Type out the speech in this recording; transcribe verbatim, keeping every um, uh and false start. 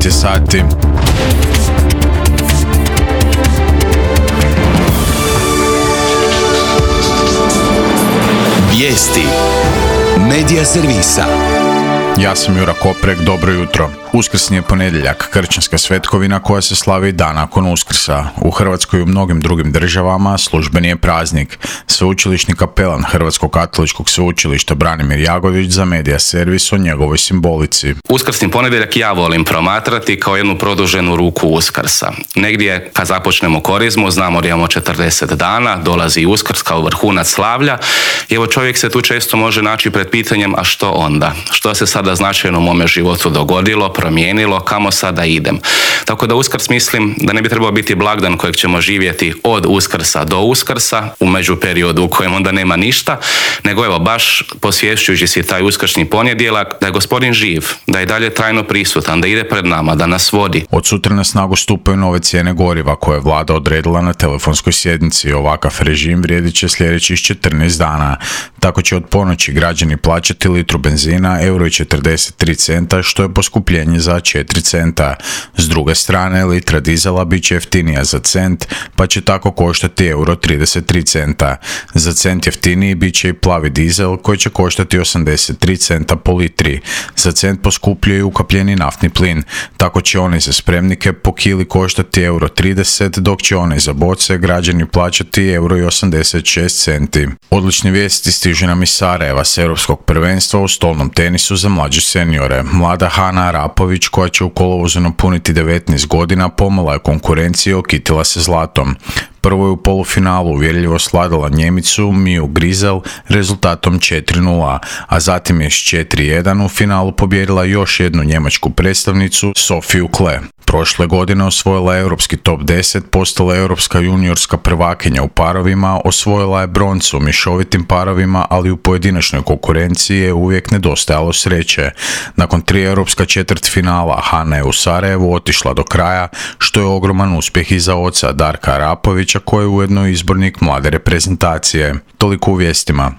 je sati. Vijesti Medija servisa. Ja sam Jura Koprek, dobro jutro. Uskrsni je ponedjeljak, kršćanska svetkovina koja se slavi dan nakon Uskrsa. U Hrvatskoj i u mnogim drugim državama službeni je praznik. Sveučilišni kapelan Hrvatskog katoličkog sveučilišta Branimir Jagodić za Medija servis o njegovoj simbolici. Uskrsni ponedjeljak ja volim promatrati kao jednu produženu ruku Uskrsa. Negdje kad započnemo korizmu, znamo da imamo četrdeset dana, dolazi Uskrs kao vrhunac slavlja i evo čovjek se tu često može naći pred pitanjem a što onda? Što se sada značajno u mome životu dogodilo, promijenilo, kamo sada idem? Tako da Uskrs mislim da ne bi trebao biti blagdan kojeg ćemo živjeti od Uskrsa do Uskrsa u međuperiodu u kojem onda nema ništa, nego evo baš posvješćujući si taj uskršnji ponedjeljak da je Gospodin živ, da je dalje trajno prisutan, da ide pred nama, da nas vodi. Od sutra na snagu stupaju nove cijene goriva koje je vlada odredila na telefonskoj sjednici. Ovakav režim vrijedit će sljedećih četrnaest dana. Tako će od ponoći građani plaćati litru benzina euro i četrdeset tri centa, što je poskupljenje za četiri centa. S druge strane, litra dizela bit će jeftinija za cent, pa će tako koštati euro trideset tri centa. Za cent jeftiniji bit će i plavi dizel koji će koštati osamdeset tri centa po litri. Za cent poskupljuje i ukapljeni naftni plin. Tako će oni za spremnike po kili koštati euro trideset, dok će oni za boce građani plaćati euro i osamdeset šest centi. Odlične vijesti stižu nam iz Sarajeva s europskog prvenstva u stolnom tenisu za mlađe seniore. Mlada Hana Arapović, koja će u kolovozu napuniti devetnaest godina, pomala je konkurenciju i okitila se zlatom. Prvo je u polufinalu uvjerljivo sladala Njemicu Miju Grizel rezultatom četiri nula, a zatim je s četiri jedan u finalu pobijedila još jednu njemačku predstavnicu Sofiju Kle. Prošle godine osvojila je europski top deset, postala je europska juniorska prvakinja u parovima, osvojila je broncu u mješovitim parovima, ali u pojedinačnoj konkurenciji je uvijek nedostajalo sreće. Nakon tri europska četvrtfinala Hana je u Sarajevu otišla do kraja, što je ogroman uspjeh i za oca Darka Arapovića, koji je ujedno izbornik mlade reprezentacije. Toliko u vijestima.